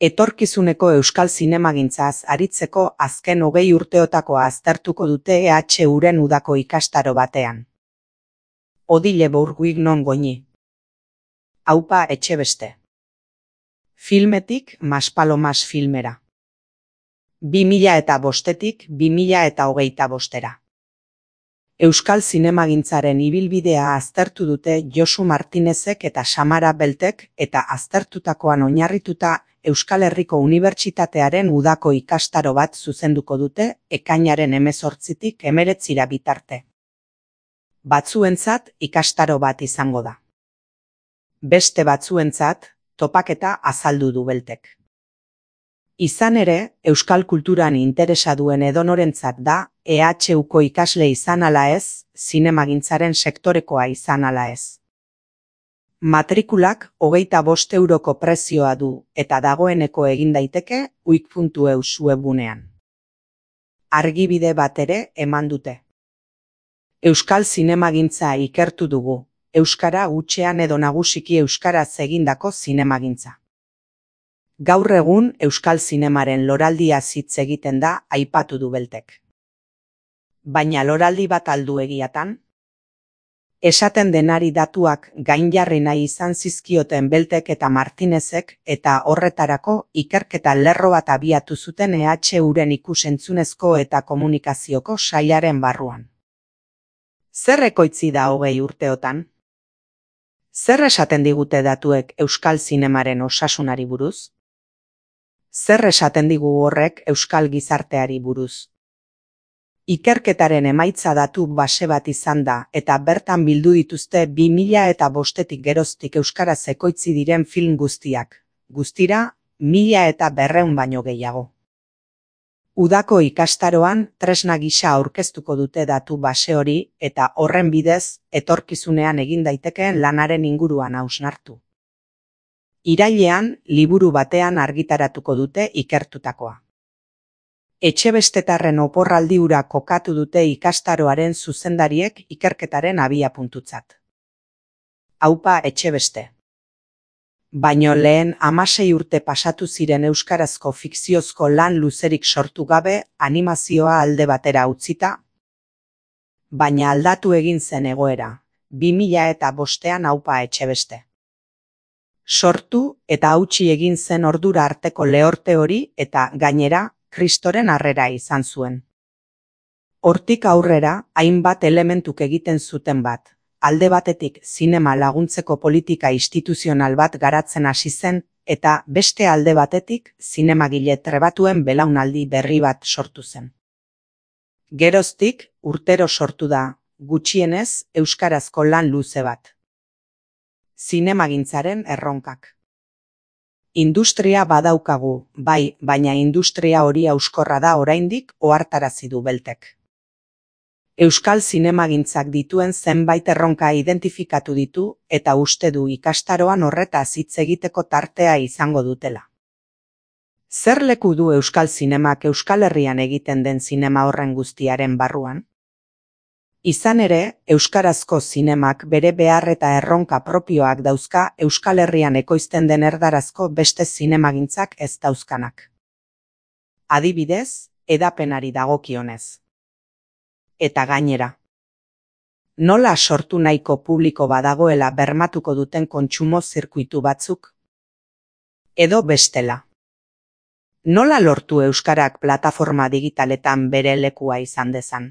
Etorkizuneko euskal zinemagintzaz aritzeko azken 20 urteotakoa aztertuko dute EHUren udako ikastaro batean. Odile Bourguignon Goñi. Aupa Etxebeste. Filmetik Maspalomas filmera. 2005-tik 2025-era. Euskal zinemagintzaren ibilbidea aztertu dute Josu Martinezek eta Samara Beltek eta aztertutakoan oinarrituta Euskal Herriko Unibertsitatearen udako ikastaro bat zuzenduko dute ekainaren 18-tik 19 bitarte. Batzuentzat ikastaro bat izango da. Beste batzuentzat topaketa azaldu du Beltek. Izan ere, euskal kulturan interesa duen edonorentzat da EHUko ikasle izan ala ez, zinemagintzaren sektorekoa izan ala ez. Matrikulak 25 euroko prezioa du eta dagoeneko egin daiteke uik.eus webgunean. Argibide bat ere eman dute. Euskal zinemagintza ikertu dugu, euskara hutsean edo nagusiki euskaraz egindako zinemagintza. Gaur egun euskal zinemaren loraldia hitz egiten da aipatu du Beltek. Baina loraldi bat aldu egiatan? Esaten denari datuak gainjarri nahi izan zizkioten Beltek eta Martinezek eta horretarako ikerketa lerro bat abiatu zuten EHUren ikus-entzunezko eta komunikazioko sailaren barruan. Zer ekoitzi da 20 urteotan? Zer esaten digute datuek euskal zinemaren osasunari buruz? Zer esaten digu horrek euskal gizarteari buruz? Ikerketaren emaitza datu base bat izan da eta bertan bildu dituzte 2005-tik geroztik euskaraz ekoitzi diren film guztiak, guztira 1200 baino gehiago. Udako ikastaroan tresna gisa aurkeztuko dute datu base hori eta horren bidez etorkizunean egin daitekeen lanaren inguruan hausnartu. Irailean liburu batean argitaratuko dute ikertutakoa. Etxebestetarren oporraldi hura kokatu dute ikastaroaren zuzendariek ikerketaren abiapuntutzat. Aupa Etxebeste. Baino lehen 16 urte pasatu ziren euskarazko fikziozko lan luzerik sortu gabe animazioa alde batera utzita. Baina aldatu egin zen egoera, 2005-an Aupa Etxebeste. Sortu eta hautsi egin zen ordura arteko lehorte hori eta gainera Kristoren harrera izan zuen. Hortik aurrera hainbat elementuk egiten zuten bat. Alde batetik zinema laguntzeko politika instituzional bat garatzen hasi zen eta beste alde batetik zinemagile trebatuen belaunaldi berri bat sortu zen. Geroztik urtero sortu da, gutxienez euskarazko lan luze bat. Zinemagintzaren erronkak. Industria badaukagu, bai, baina industria hori hauskorra da oraindik ohartarazi du Beltek. Euskal zinemagintzak dituen zenbait erronka identifikatu ditu eta uste du ikastaroan horretaz hitz egiteko tartea izango dutela. Zer leku du euskal zinemak Euskal Herrian egiten den zinema horren guztiaren barruan? Izan ere, euskarazko zinemak bere behar eta erronka propioak dauzka Euskal Herrian ekoizten den erdarazko beste zinemagintzak ez dauzkanak. Adibidez, hedapenari dagokionez. Eta gainera. Nola sortu nahiko publiko badagoela bermatuko duten kontsumo zirkuitu batzuk? Edo bestela. Nola lortu euskarak plataforma digitaletan bere lekua izan dezan?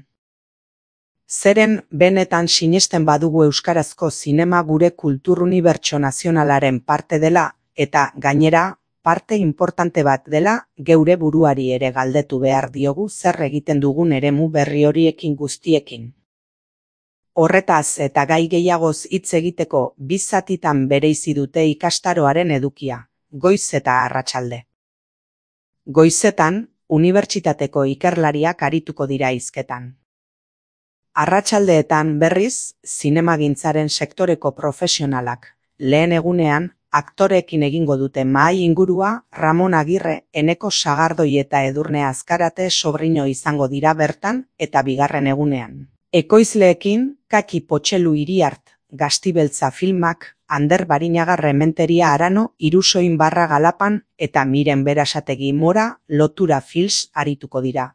Zeren benetan sinesten badugu euskarazko zinema gure kultur unibertso nazionalaren parte dela eta gainera parte importante bat dela geure buruari ere galdetu behar diogu zer egiten dugun eremu berri horiekin guztiekin. Horretaz eta gai gehiagoz hitz egiteko 2 zatitan bereizi dute ikastaroaren edukia, goiz eta arratsalde. Goizetan, unibertsitateko ikerlariak arituko dira hizketan. Arratsaldeetan berriz, zinemagintzaren sektoreko profesionalak, lehen egunean, aktoreekin egingo dute mahai ingurua Ramon Agirre, Eneko Sagardoi eta Edurne Azkarate sobrino izango dira bertan eta bigarren egunean. Ekoizleekin Kaki Potxelu Iriart, Gaztibeltza filmak, Ander Barinaga Rementeria Arano, Irusoin Barra Galapan eta Miren Berasategi Mora Lotura Films arituko dira.